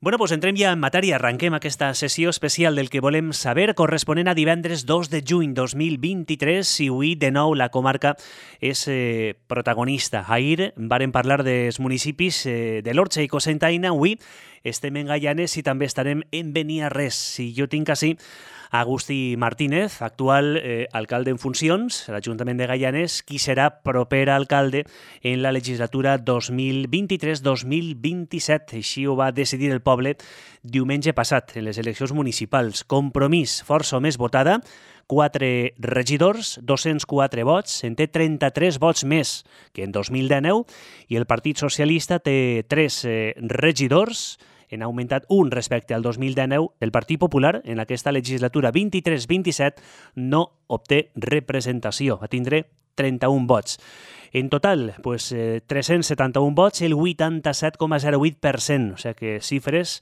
Bueno, doncs entrem ja en matèria. Arrenquem aquesta sessió especial del que volem saber, corresponent a divendres 2 de juny 2023, i avui, de nou, la comarca és protagonista. Ahir vàrem parlar dels municipis de l'Orxa i Cocentaina. Avui estem en Gaianes i també estarem en Beniarrés. I jo tinc així Agustí Martínez, actual alcalde en funcions a l'Ajuntament de Gaianes, qui serà proper alcalde en la legislatura 2023-2027. Així ho va decidir el poble diumenge passat en les eleccions municipals. Compromís, força o més votada, 4 regidors, 204 vots, en té 33 vots més que en 2019, i el Partit Socialista té 3 regidors, han augmentat un respecte al 2019. El Partit Popular, en aquesta legislatura 23-27, no obté representació. Va tindre 31 vots. En total, 371 vots, el 87,08%. O sigui que xifres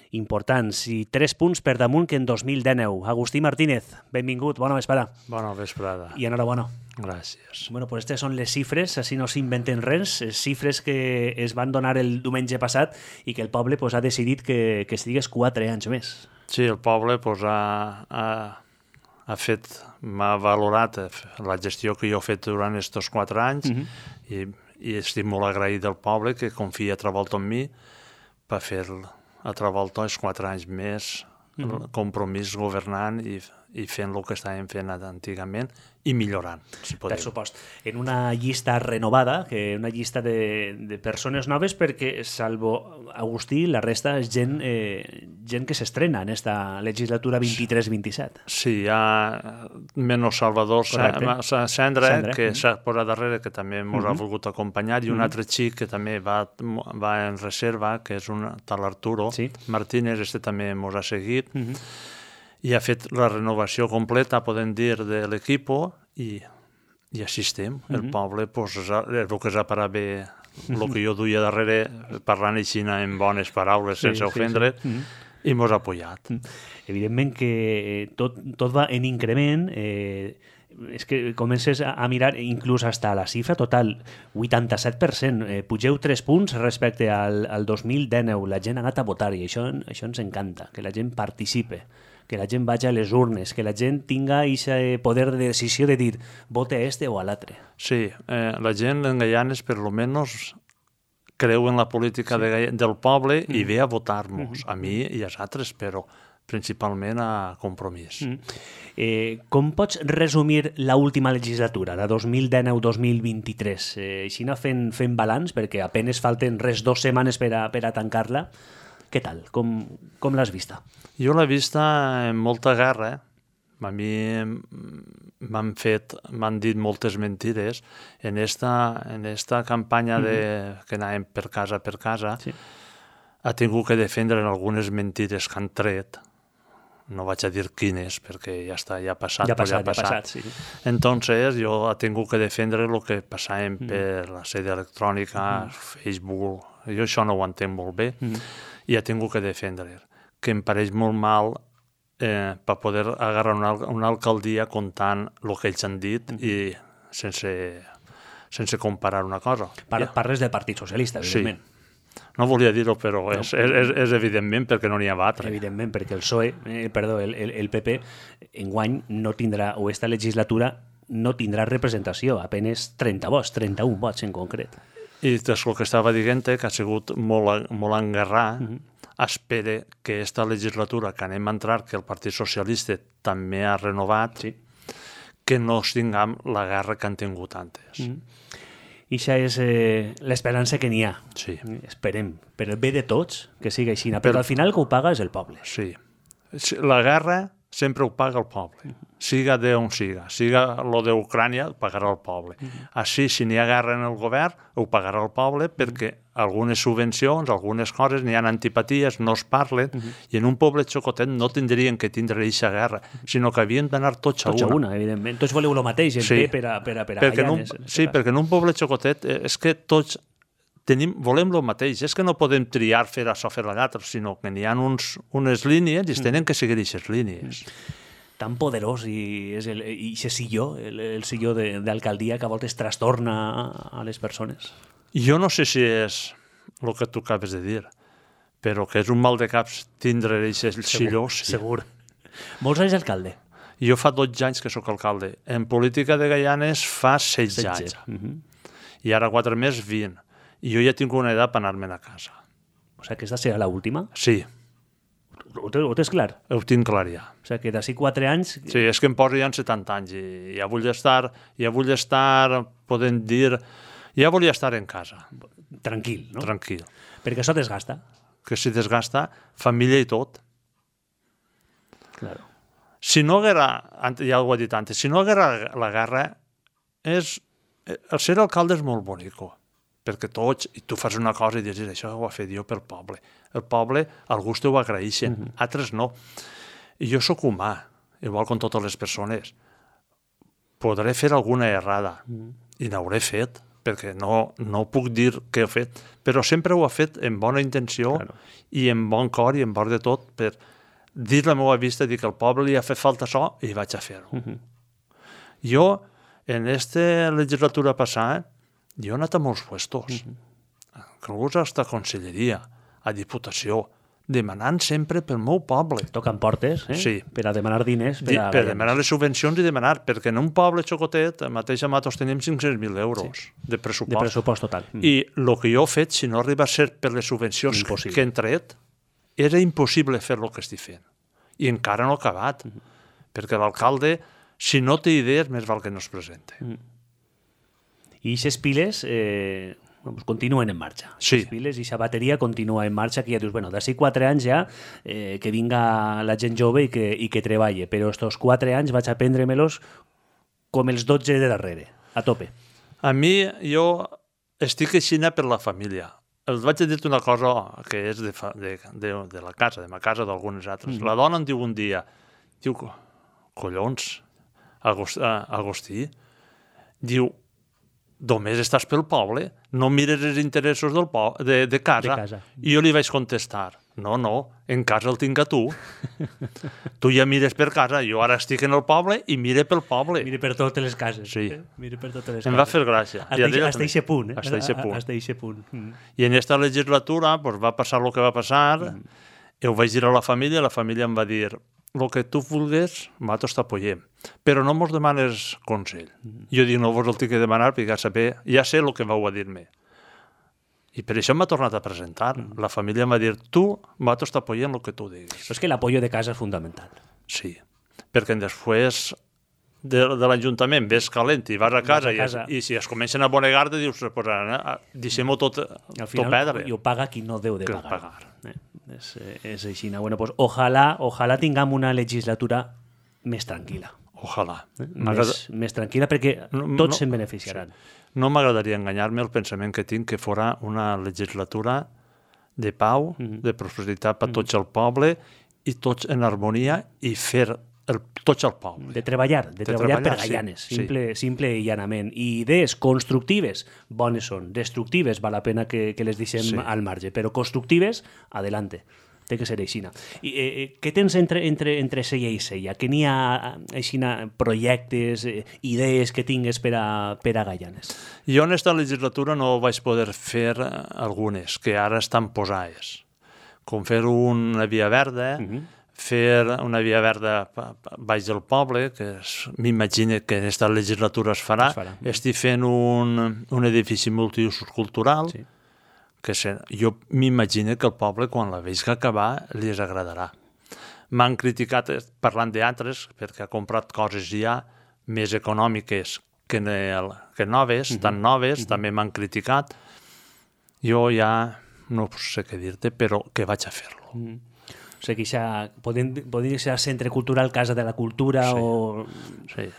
importants i 3 punts per damunt que en 2019. Agustí Martínez, benvingut, bona vesprada. Bona vesprada. I enhorabona. Gràcies. Bueno, pues aquestes són les xifres, així no s'inventen res, xifres que es van donar el diumenge passat i que el poble ha decidit que estigués 4 anys més. Sí, el poble m'ha valorat la gestió que jo he fet durant aquests 4 anys i estic molt agraït del poble que confia altra volta en mi per fer altra volta els 4 anys més compromís governant i fent el que estàvem fent antigament i millorant, si podem. Per supost. En una llista renovada, una llista de persones noves, perquè, salvo Agustí, la resta és gent que s'estrena en esta legislatura 23-27. Sí, hi ha menys Salvador Cendra, que s'ha posat darrere, que també ens ha volgut acompanyar, i un altre xic que també va en reserva, que és un tal Arturo Martínez, també ens ha seguit, i ha fet la renovació completa, podem dir, de l'equip, i així estem. El poble és el que s'ha parat bé, el que jo duia darrere, parlant així en bones paraules, sense ofendre, i ens ha apoyat. Evidentment que tot va en increment, és que comences a mirar inclús hasta la xifra total, 87%, pugeu 3 punts respecte al 2019, la gent ha anat a votar i això ens encanta, que la gent participe, que la gent vagi a les urnes, que la gent tinga aquest poder de decisió de dir vote a este o a l'altre. Sí, la gent en Gaianes per lo menos creu en la política del poble i ve a votar-nos, a mi i als altres, però principalment a Compromís. Com pots resumir l'última legislatura, la 2019-2023? Així fent balanç, perquè apenes falten 2 setmanes per a tancar-la. Què tal? Com l'has vista? Jo l'he vista amb molta guerra. A mi m'han dit moltes mentides. En esta campanya que anàvem per casa, ha tingut que defendre algunes mentides que han tret. No vaig a dir quines, perquè ja està, ja ha passat. Sí. Entonces, jo he tingut que defendre el que passàvem per la sede electrònica, Facebook. Jo això no ho entenc molt bé. I ha tingut que defendre, que em pareix molt mal per poder agarrar una alcaldia comptant el que ells han dit i sense comparar una cosa. Parles del Partit Socialista, evidentment. Sí. No volia dir-ho, però és evidentment perquè no n'hi ha altre. Evidentment, perquè el PP enguany no tindrà, o esta legislatura no tindrà representació, apenas 30 vots, 31 vots en concret. I des del que estava dient, que ha sigut molt enguerrar, espera que aquesta legislatura que anem a entrar, que el Partit Socialista també ha renovat, que no tinguem la guerra que han tingut antes. I això és l'esperança que n'hi ha. Sí. Esperem. Per el bé de tots, que sigui així. Però al final que ho paga és el poble. Sí. La guerra sempre ho paga el poble. Siga d'on siga. Siga lo d'Ucrània, ho pagarà el poble. Així, si n'hi ha guerra en el govern, ho pagarà el poble perquè algunes subvencions, algunes coses, n'hi ha antipaties, no es parlen, i en un poble xocotet no tindrien que tindre aquesta guerra, sinó que havien d'anar tots a una. Tots a una, evidentment. Tots voleu el mateix, per a Gaianes. Sí, perquè en un poble xocotet és que tots volem el mateix. És que no podem triar fer això, fer l'altre, sinó que n'hi ha unes línies i es tenen que seguir aquestes línies. Tan poderós i aquest silló, el silló d'alcaldia que a voltes trastorna a les persones. Jo no sé si és el que tu acabes de dir, però que és un mal de caps tindre aquests xillors. Segur. Molts anys alcalde. Jo fa 12 anys que sóc alcalde. En política de Gaianes fa 16 anys. I ara 4 més, 20. I jo ja tinc una edat per anar-me'n a casa. O sigui, aquesta serà l'última? Sí. Ho tens clar? Ho tinc clar ja. O sigui, que d'ací 4 anys... Sí, és que em poso ja en 70 anys i ja vull estar, podem dir... Ja volia estar en casa. Tranquil, no? Tranquil. Perquè això desgasta. Que si desgasta, família i tot. Claro. Si no haguera, ja ho he dit antes, si no haguera la guerra, el ser alcalde és molt bonico, perquè tots, i tu fas una cosa i dius, això ho ha fet jo pel poble. El poble, alguns t'ho agraeixen, altres no. I jo sóc humà, igual com totes les persones. Podré fer alguna errada, i n'hauré fet, perquè no puc dir què he fet, però sempre ho he fet amb bona intenció i amb bon cor i amb bon de tot per dir la meva vista, dir que al poble li ha fet falta això i vaig a fer-ho. Jo, en aquesta legislatura passada, jo he anat a molts puestos, inclús a conselleria, a diputació, demanant sempre pel meu poble. Toquen portes, Sí. Per a demanar diners. Per demanar les subvencions i demanar, perquè en un poble xocotet, mateix a Matos tenim 500.000 euros de pressupost. De pressupost total. I el que jo he fet, si no arriba a ser per les subvencions que hem tret, era impossible fer el que estic fent. I encara no he acabat, perquè l'alcalde, si no té idees, més val que no es presente. I aquestes piles continuen en marxa. Sí. Les piles i aquesta bateria continua en marxa, que ja dius, bueno, d'ací 4 anys ja que vinga la gent jove i que treballe, però estos 4 anys vaig a prendre-me'ls com els 12 de darrere, a tope. A mi, jo estic aixina per la família. Els vaig dir una cosa que és de la casa, de ma casa, d'algunes altres. La dona em diu un dia, diu, collons, Agustí, diu, només estàs pel poble, no mires els interessos de casa. I jo li vaig contestar, no, en casa el tinc a tu. Tu ja mires per casa, jo ara estic en el poble i mire pel poble. Mire per totes les cases. Sí. Mire per totes les cases. Em va fer gràcia. Hasta eixe punt. Hasta eixe punt. I en aquesta legislatura va passar el que va passar, ho vaig dir a la família em va dir, el que tu vulguis, nosaltres t'apoyem. Però no mos demanes consell. Jo dic, no vos el tinc que demanar, perquè ja sé el que vau a dir-me. I per això m'ha tornat a presentar. La família em va dir, nosaltres t'apoyem el que tu diguis. Però és que l'apoyo de casa és fundamental. Sí, perquè després de l'Ajuntament ves calent i vas a casa i si es comencen a bonegar te dius, deixem-ho tot perdre. I ho paga qui no deu de pagar. És així. Bueno, pues ojalà tinguem una legislatura més tranquil·la. Ojalà. Més tranquil·la perquè tots se'n beneficiaran. No m'agradaria enganyar-me el pensament que tinc que fora una legislatura de pau, de prosperitat per tots el poble i tots en harmonia i fer tots el poble. De treballar per Gaianes, simple i llanament. I idees constructives, bones són. Destructives, val la pena que les deixem al marge, però constructives, adelante. Té que ser aixina. Què tens entre sella i sella? Que n'hi ha projectes, idees que tingues per a Gaianes? Jo en aquesta legislatura no vaig poder fer algunes, que ara estan posades. Com fer una via verda, fer una via verda baix del poble, que m'imagino que en aquesta legislatura es farà. Estic fent un edifici multiusos cultural, que jo m'imagino que el poble, quan la veig acabar, li agradarà. M'han criticat, parlant d'altres, perquè ha comprat coses ja més econòmiques que noves, tan noves, també m'han criticat. Jo ja no sé què dir-te, però que vaig a fer-lo. O sigui, podria ser Centre Cultural Casa de la Cultura o... Sí.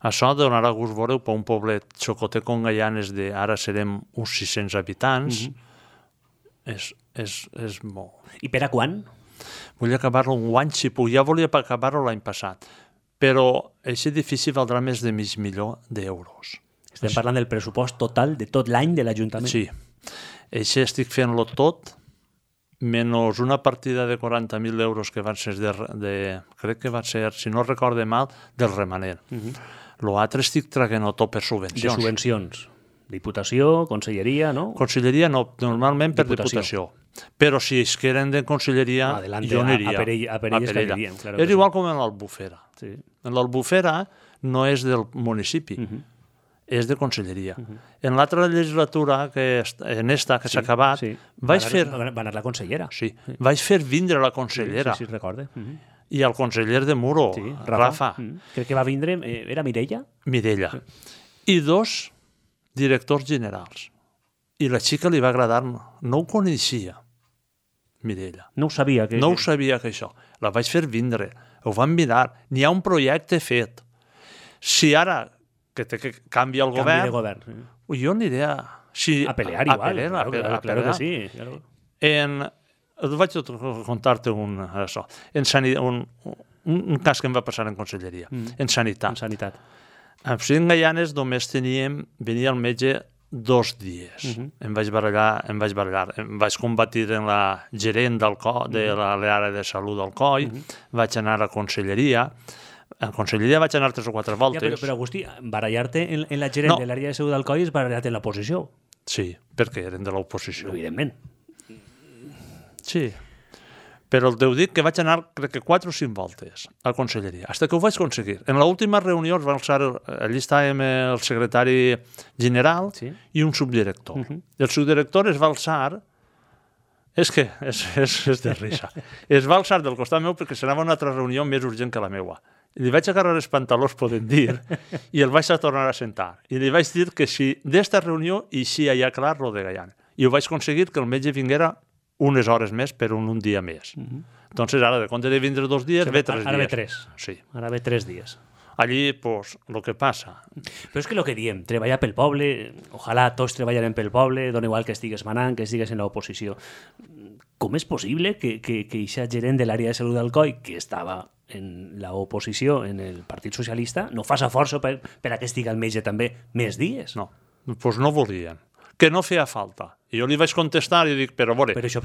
Això donarà gust veure per un poblet xocotet com Gaianes ara serem uns 600 habitants. És molt. I per a quan? Vull acabar-lo un any, si puc. Ja volia acabar-lo l'any passat. Però aquest edifici valdrà més de $500.000. Estem parlant del pressupost total de tot l'any de l'Ajuntament? Sí. Això estic fent-lo tot, menys una partida de 40.000 euros que van ser crec que va ser, si no recorde mal, del remanent. L'altre estic traguent-ho tot per subvencions. De subvencions. Diputació, conselleria, no? Conselleria no, normalment per diputació. Però si es queden de conselleria, jo aniria. A per ells anirien. És igual com en l'Albufera. En l'Albufera no és del municipi, és de conselleria. En l'altra legislatura, en esta que s'ha acabat, vaig fer... Va anar la consellera. Sí, vaig fer vindre la consellera. Sí, recordo. I el conseller de Muro, Rafa. Crec que va vindre, era Mireia? Mireia. I 2 directors generals. I la xica li va agradar, no ho coneixia, Mireia. No ho sabia. No ho sabia que això. La vaig fer vindre, ho van mirar. N'hi ha un projecte fet. Si ara que canvia el govern, jo aniré a pelear igual. Claro que sí. Vaig contar-te un cas que em va passar en conselleria, en sanitat. A Cinc Gaianes només venia el metge 2 dies. Em vaig barallar. Em vaig combatir en la gerent de l'àrea de salut del COI, vaig anar a conselleria. A conselleria vaig anar 3 o 4 voltes. Però Agustí, barallar-te en la gerent de l'àrea de salut del COI és barallar-te en l'oposició. Sí, perquè eren de l'oposició. Evidentment. Sí. Però el teu dic que vaig anar, crec que 4 o 5 voltes a conselleria, fins que ho vaig aconseguir. En l'última reunió es va alçar, allí estàvem el secretari general i un subdirector. El subdirector es va alçar, és de risa, es va alçar del costat meu perquè s'anava a una altra reunió més urgent que la meua. Li vaig agarrar els pantalons, podem dir, i el vaig a tornar a sentar. I li vaig dir que si d'esta reunió eixia ja clar lo de Gaianes. I ho vaig aconseguir que el metge vinguera unes hores més per un dia més. Entonces, ara, de compte de vindre 2 dies, ve 3 dies. Ara ve 3. Sí. Ara ve 3 dies. Allí, pues, lo que passa. Però és que el que diem, treballar pel poble, ojalà tots treballarem pel poble, dona igual que estigues manant, que estigues en l'oposició. Com és possible que aquesta gerent de l'àrea de salut del COI, que estava en l'oposició, en el Partit Socialista, no fa força per a que estigui el metge també més dies? No, doncs no volien. Que no feia falta. I jo li vaig contestar i dic, però a veure... Però això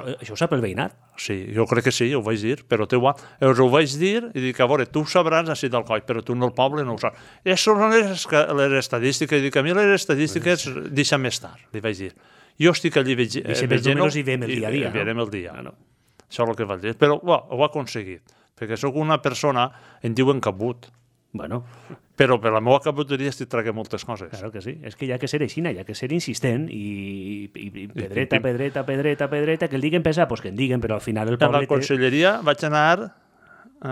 ho sap el veïnat? Sí, jo crec que sí, ho vaig dir, però ho vaig dir i dic, a veure, tu ho sabràs així del COI, però tu no el poble no ho saps. Això són les estadístiques, i dic, a mi les estadístiques deixa més tard, li vaig dir. Jo estic allí veient... Més o menys hi veiem el dia a dia, no? Veiem el dia. Això és el que vaig dir. Però ho he aconseguit, perquè sóc una persona, em diuen cabut. Bueno... Però per la meva caputeria estic traient moltes coses. Claro que sí. És que hi ha que ser aixina, hi ha que ser insistent i pedreta, que el diguen pesar, pues que en diguen, però al final el poble... En la conselleria vaig anar,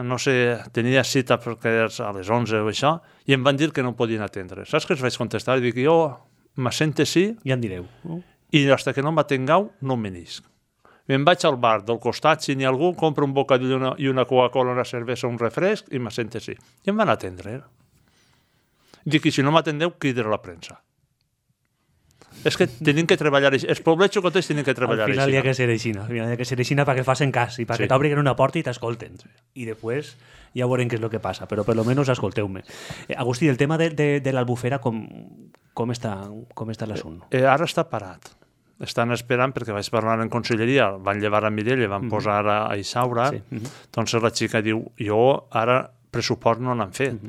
no sé, tenia cita perquè a les 11 o això, i em van dir que no em podien atendre. Saps què els vaig contestar? I dic, jo m'assente sí... Ja en direu. I fins que no m'atengueu, no em venisc. Me'n vaig al bar del costat, si n'hi ha algú, compro un bocadillo i una Coca-Cola, una cervesa, un refresc, i m'assente sí. I em van atendre. Dic, i si no m'atendeu, crida a la premsa. És que tenim que treballar així. Els poblets xocotets tenen que treballar així. Al final hi ha que ser aixina. Hi ha que ser aixina perquè facin cas i perquè t'obrin una porta i t'escolten. I després ja veurem què és el que passa, però per lo menos escolteu-me. Agustí, el tema de l'Albufera, com està l'assumpte? Ara està parat. Estan esperant perquè vaig parlar en conselleria, van llevar a Mireia, van posar a Isaura, doncs la xica diu, jo ara pressupost no n'han fet.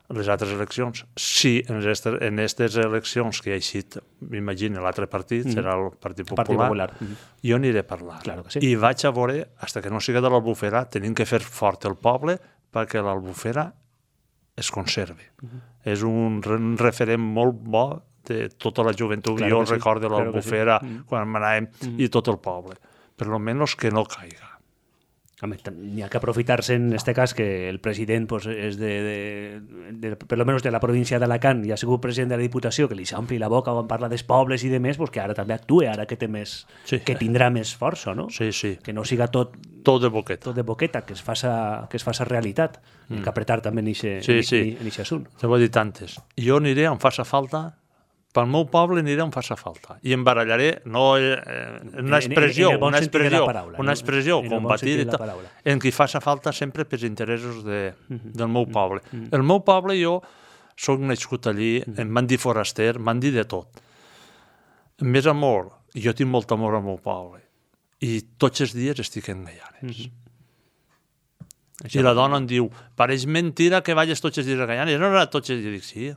Les altres eleccions. Si en aquestes eleccions que hi ha eixit, m'imagino, l'altre partit, serà el Partit Popular, jo aniré a parlar. Claro que sí. I vaig a veure, fins que no siga de l'Albufera, tenim que fer fort el poble perquè l'Albufera es conservi. És un referent molt bo de tota la joventut. Claro, jo recordo l'Albufera quan m'anàvem i tot el poble. Per lo menos que no caiga. N'hi ha que aprofitar-se en este cas que el president pues, és per lo menos de la província d'Alacant i ha sigut president de la Diputació, que li s'ompli la boca quan parla dels pobles i de més, pues, que ara també actue, ara que té més, que tindrà més força, no? Sí, sí. Que no siga tot de boqueta. Tot de boqueta, que es faça realitat. Hi ha que apretar també en aquest assunt. Te ho he dit antes. Jo aniré on faci falta. Pel meu poble aniré on faci falta. I em barallaré, no una expressió combatida en qui faci falta sempre pels interessos del meu poble. El meu poble, jo soc nascut allí, em van dir foraster, m'han dit de tot. Més amor, jo tinc molt amor al meu poble. I tots els dies estic en Gaianes. I la dona em diu, pareix mentira que vagis tots els dies a Gaianes. No, tots els dies. Dic, sí,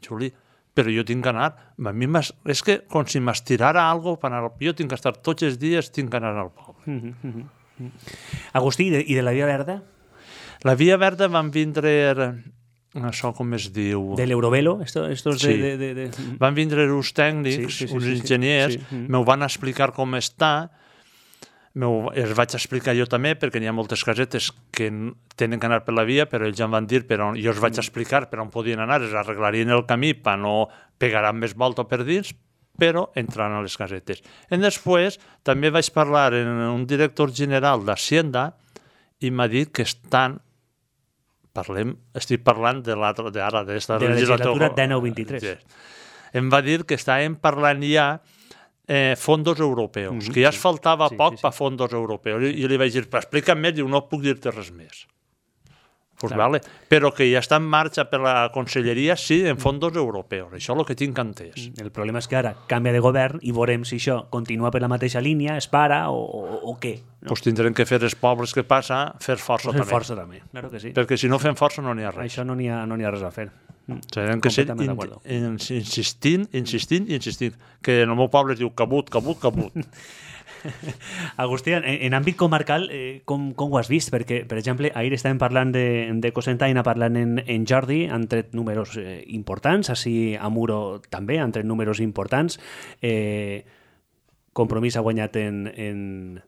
Juli, però jo tinc que anar. A mi és que com si m'estirara alguna cosa, jo tinc que estar tots els dies, tinc que anar al poble. Agustí, i de la Via Verda? La Via Verda van vindre, això com es diu... De l'Eurovelo? Sí, van vindre uns tècnics, uns enginyers, m'ho van explicar com està, els vaig explicar jo també, perquè n'hi ha moltes casetes que tenen que anar per la via, però ells ja em van dir, però jo els vaig explicar per on podien anar, es arreglarien el camí per no pegar més volta per dins, però entrant a les casetes. I després també vaig parlar amb un director general d'Hacienda i m'ha dit que estic parlant de la legislatura 19-23. Em va dir que estàvem parlant ja fondos europeus, que ja es faltava poc per fondos europeus. I li vaig dir, explica'm més, diu, no puc dir-te res més. Pues vale. Però que ja està en marxa per la conselleria, sí, en fondos europeus. Això és el que tinc entès. El problema és que ara canvia de govern i veurem si això continua per la mateixa línia, es para o què. Doncs tindrem que fer els pobles que passa, fer força també. Fer força també, claro que sí. Perquè si no fem força no n'hi ha res. Això no n'hi ha res a fer. Tenen que ser insistint, que en el meu poble es diu cabut. Agustí, en àmbit comarcal, com ho has vist? Perquè, per exemple, ahir estàvem parlant de Cocentaina, parlant en Jordi, han tret números importants, així a Muro també han tret números importants. Compromís ha guanyat en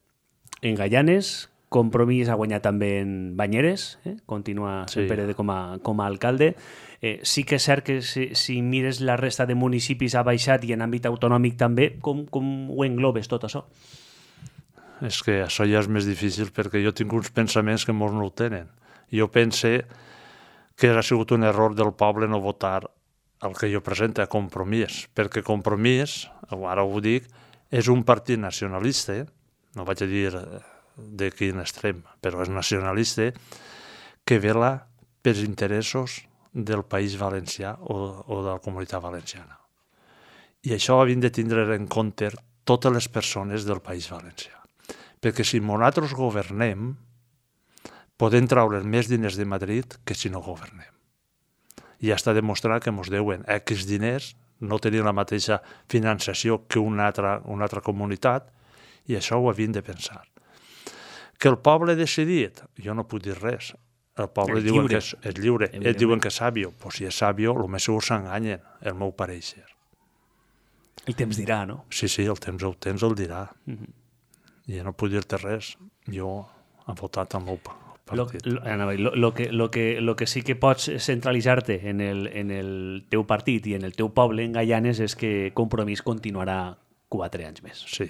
Gaianes, Compromís ha guanyat també en Banyeres, continua sent Pérez com a alcalde. Sí que és cert que si mires la resta de municipis ha baixat i en àmbit autonòmic també, com ho englobes tot això? És que això ja és més difícil perquè jo tinc uns pensaments que molts no ho tenen. Jo pense que ha sigut un error del poble no votar el que jo presento a Compromís, perquè Compromís, ara ho dic, és un partit nacionalista, no vaig a dir de quin extrem, però és nacionalista, que vela pels interessos del País Valencià o de la Comunitat Valenciana. I això havien de tindre en compte totes les persones del País Valencià. Perquè si nosaltres governem, podem treure més diners de Madrid que si no governem. I ja està demostrat que ens deuen X diners, no tenir la mateixa finançació que una altra comunitat, i això ho havien de pensar. Que el poble ha decidit, jo no puc dir res. El poble diuen que és lliure. Ells diuen que és sàvio. Pues si és sàvio, el més segur s'enganyen, el meu pareixer. El temps dirà, no? Sí, el temps el dirà. I no puc dir-te res. Jo he votat el meu partit. Lo que sí que pots centralitzar-te en el teu partit i en el teu poble, en Gaianes, és que Compromís continuarà 4 anys més. Sí.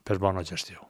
Per bona gestió.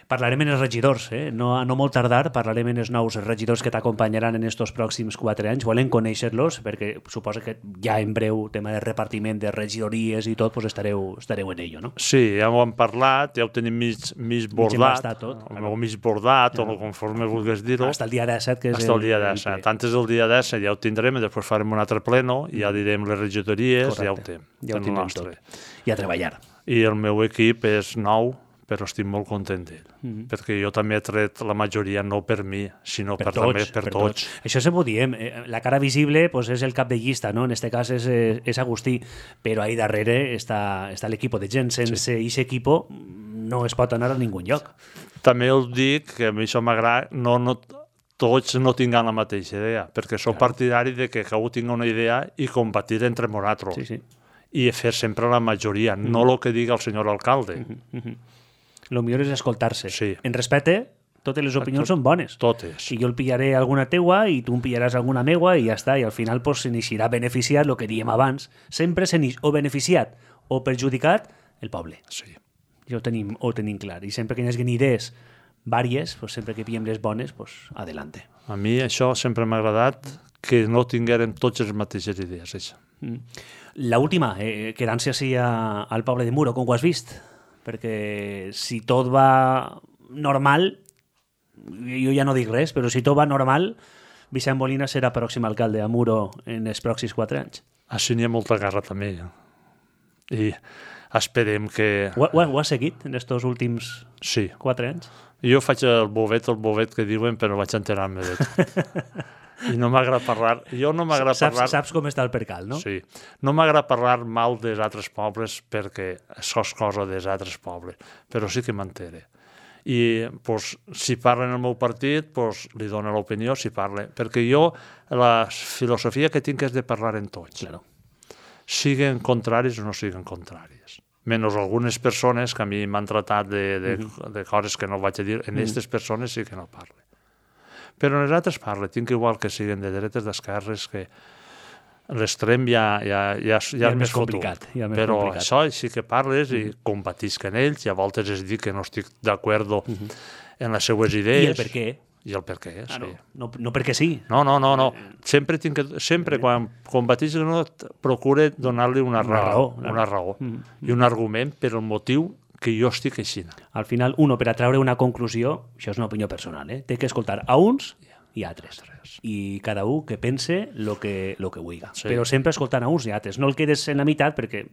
Parlarem en els regidors, no molt tardar, parlarem en els nous regidors que t'acompanyaran en aquests pròxims 4 anys. Volem conèixer-los, perquè suposo que ja en breu, tema de repartiment de regidories i tot, pues estareu en ello, no? Sí, ja ho hem parlat, ja ho tenim mig bordat, o mig bordat, o conforme vulguis dir-ho. Hasta el dia 17, que és el dia 17. Antes del dia 17 ja ho tindrem, i després farem un altre pleno, i ja direm les regidories, ja ho tenim. Ja ho tindrem tot. I a treballar. I el meu equip és nou, però estic molt content d'ell, perquè jo també he tret la majoria no per mi, sinó per tots. Això sempre ho diem, la cara visible pues, és el cap de llista, no? En aquest cas és Agustí, però ahí darrere està l'equip de gent. Sense aquest equip no es pot anar a ningú lloc. També us dic que a mi això m'agrada, tots no tinguin la mateixa idea, perquè soc partidari de que cadascú tingui una idea i combatir entre nosaltres. I fer sempre la majoria, no el que diga el senyor alcalde. El millor és escoltar-se. Sí. En respecte, totes les opinions són bones. Totes. I jo el pillaré alguna teua i tu em pillaràs alguna meua i ja està. I al final pues, se n'eixirà beneficiat, el que diem abans. Sempre se n'eix o beneficiat o perjudicat el poble. Sí. Ja ho tenim clar. I sempre que hi hagi idees vàries, pues, sempre que pillem les bones, pues, adelante. A mi això sempre m'ha agradat, que no tinguérem tots les mateixes idees. Això. L'última, quedant-se així al poble de Muro, com ho has vist? Perquè si tot va normal, jo ja no dic res, però si tot va normal, Vicent Molina serà pròxim alcalde a Muro en els pròxims 4 anys. Així n'hi ha molta garra també. I esperem que... Ho has seguit en aquests últims 4 anys? Jo faig el bovet que diuen, però vaig enterar-me de tot. I no m'agrada parlar... Jo no m'agrada parlar... Saps com està el percal, no? Sí. No m'agrada parlar mal dels altres pobles perquè això és cosa dels altres pobles, però sí que m'entere. I pues, si parla en el meu partit, pues, li dono l'opinió si parla. Perquè jo, la filosofia que tinc és de parlar en tots. Claro. Siguen contraris o no siguen contraris. Menys algunes persones que a mi m'han tratat de coses que no vaig a dir, en aquestes persones sí que no parle. Però en les altres parle, tinc igual que siguen de dretes, d'esquerres, que l'extrem ja és més complicat. Però això sí que parles i combatisc en ells, i a voltes es dic que no estic d'acord en les seues idees. I el per què? I el per què, sí. No perquè sí. No. Sempre quan combatisc no, procure donar-li una raó. I un argument per el motiu que jo estic així. Al final, per a treure una conclusió, això és una opinió personal, té que escoltar a uns i a altres. I cada un que pense el que vulgui. Sí. Però sempre escoltant a uns i a altres. No el quedes en la meitat perquè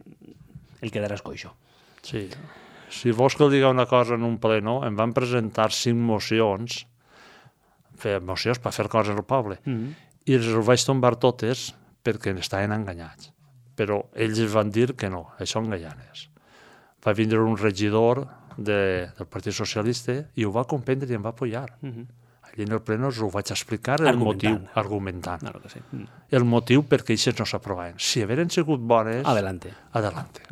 el quedaràs coixo. Sí. Si vols que el diga una cosa en un pleno, em van presentar 5 mocions per fer coses al poble. I els vaig tombar totes perquè estaven enganyats. Però ells van dir que no, això enganyanes. Va vindre un regidor del Partit Socialista i ho va comprendre i em va apoyar. Allí en el pleno us ho vaig explicar el motiu, argumentant. Claro que sí. El motiu perquè aquestes no s'aprovaven. Si hagueren sigut bones... Adelante.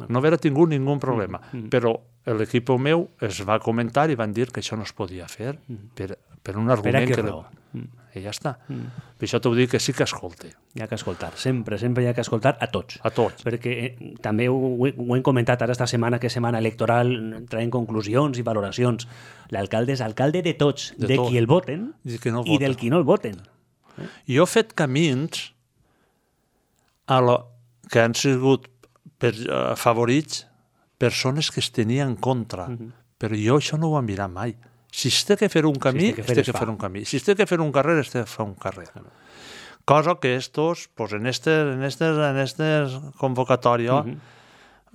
No haguera tingut ningú problema. Però l'equip meu es va comentar i van dir que això no es podia fer per un argument que... I ja està. Per això t'ho dic que sí que escolte. Hi ha que escoltar, sempre hi ha que escoltar a tots. A tots. Perquè també ho hem comentat ara esta setmana, que és setmana electoral, traient conclusions i valoracions. L'alcalde és alcalde de tots, de qui el voten i del qui no el voten. Jo he fet camins que han sigut favorits persones que es tenien en contra, però jo això no ho he mirat mai. Si es té que fer un camí, es té que fer un camí. Si es té que fer un carrer, es té que fer un carrer. Cosa que estos, pues en estes convocatòries,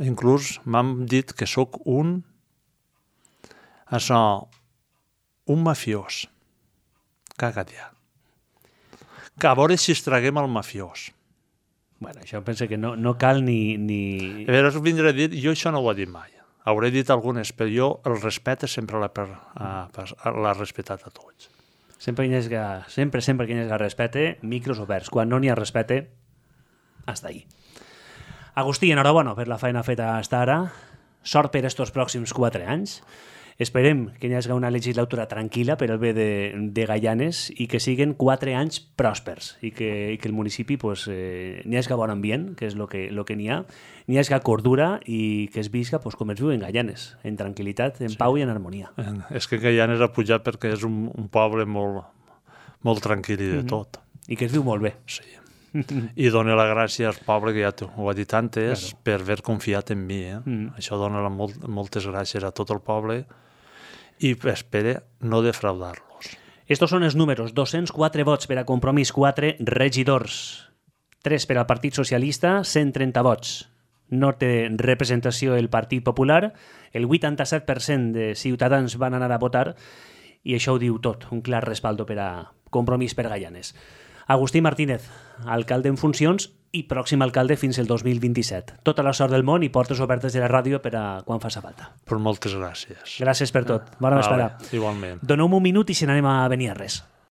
inclús m'han dit que sóc un mafiós. Caga't ja. Que a veure si es traguem el mafiós. Bueno, això penso que no cal ni... A veure, vindré a dir, jo això no ho he dit mai. Hauré dit algunes, però jo el respecte sempre l'ha respectat a tots. Sempre que hi hagi respecte, micros oberts. Quan no n'hi ha respecte, hasta ahí. Agustí, enhorabona per la feina feta fins ara. Sort per estos pròxims 4 anys. Esperem que hi hagi una legislatura tranquil·la per al bé de Gaianes i que siguin 4 anys pròspers i que el municipi n'hi hagi bon ambient, que és el que n'hi ha, n'hi hagi cordura i que es visca com es viu en Gaianes, en tranquil·litat, en pau i en harmonia. És que Gaianes ha pujat perquè és un poble molt tranquil i de tot. I que es viu molt bé. Sí. I dona la gràcia al poble, que ja ho ha dit antes, per haver confiat en mi. Això dona moltes gràcies a tot el poble i espere no defraudar-los. Estos són els números: 204 vots per a Compromís, 4 regidors, 3 per al Partit Socialista, 130 vots. No té representació el Partit Popular, el 87% de ciutadans van anar a votar i això ho diu tot, un clar respaldo per a Compromís per Gaianes. Agustí Martínez, alcalde en funcions i pròxim alcalde fins el 2027. Tota la sort del món i portes obertes de la ràdio per a quan faci falta. Per moltes gràcies. Gràcies per tot. Bona vesprada. Igualment. Doneu-me un minut i si n'anem a Beniarres.